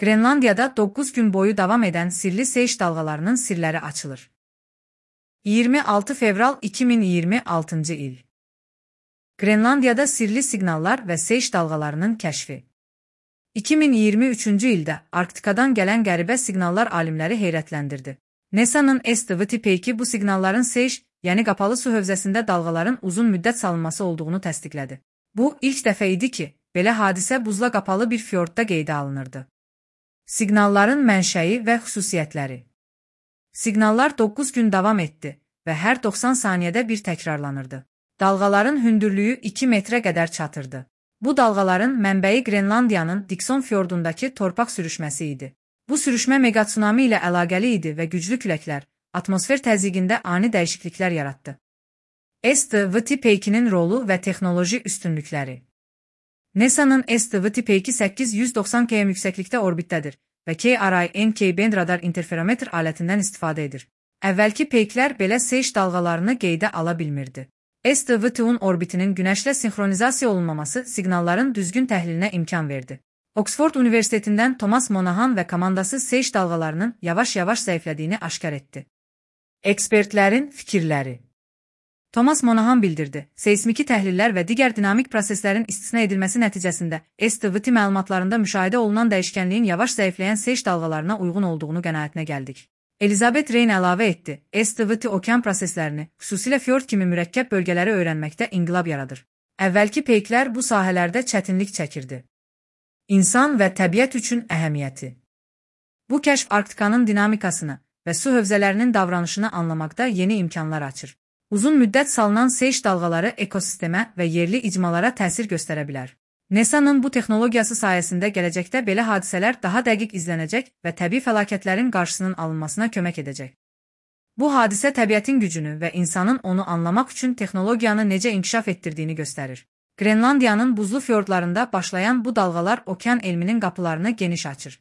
Qrenlandiyada 9 gün boyu davam edən sirli seyş dalğalarının sirləri açılır. 26 fevral 2026-cı il. Qrenlandiyada sirli siqnallar və seyş dalğalarının kəşfi. 2023-cü ildə Arktikadan gələn qəribə siqnallar alimləri heyrətləndirdi. NASA'nın SDVT peyki bu siqnalların seyş, yəni qapalı su hövzəsində dalğaların uzun müddət salınması olduğunu təsdiqlədi. Bu, ilk dəfə idi ki, belə hadisə buzla qapalı bir fjordda qeydə alınırdı. Siqnalların mənşəyi və xüsusiyyətləri. Siqnallar 9 gün davam etdi və hər 90 saniyədə bir təkrarlanırdı. Dalğaların hündürlüyü 2 metrə qədər çatırdı. Bu dalğaların mənbəyi Qrenlandiyanın Dikson fjordundakı torpaq sürüşməsi idi. Bu sürüşmə megatsunami ilə əlaqəli idi və güclü küləklər, atmosfer təzyiqində ani dəyişikliklər yaratdı. SDVT peykinin rolu və texnoloji üstünlükləri. NASA'nın SDVT peyki 890 km yüksəklikdə orbitdədir və KRIN-K-band radar interferometr alətindən istifadə edir. Əvvəlki peyklər belə seyş dalğalarını qeydə ala bilmirdi. SDVT-un orbitinin günəşlə sinxronizasiya olunmaması siqnalların düzgün təhlilinə imkan verdi. Oxford Universitetindən Thomas Monahan və komandası seyş dalğalarının yavaş-yavaş zəiflədiyini aşkar etdi. Ekspertlərin fikirləri. Thomas Monahan bildirdi, seismiki təhlillər və digər dinamik proseslərin istisna edilməsi nəticəsində SDVT məlumatlarında müşahidə olunan dəyişkənliyin yavaş zəifləyən seyş dalğalarına uyğun olduğunu qənaətinə gəldik. Elizabeth Reyn əlavə etdi, SDVT okean proseslərini, xüsusilə fjord kimi mürəkkəb bölgələri öyrənməkdə inqilab yaradır. Əvvəlki peyklər bu sahələrdə çətinlik çəkirdi. İnsan və təbiət üçün əhəmiyyəti. Bu kəşf Arktikanın dinamikasını və su hövzələrinin davranışını anlamaqda yeni imkanlar açır. Uzun müddət salınan seyş dalğaları ekosistemə və yerli icmalara təsir göstərə bilər. NASA'nın bu texnologiyası sayəsində gələcəkdə belə hadisələr daha dəqiq izlənəcək və təbii fəlakətlərin qarşısının alınmasına kömək edəcək. Bu hadisə təbiətin gücünü və insanın onu anlamaq üçün texnologiyanı necə inkişaf etdirdiyini göstərir. Qrenlandiyanın buzlu fjordlarında başlayan bu dalğalar okean elminin qapılarını geniş açır.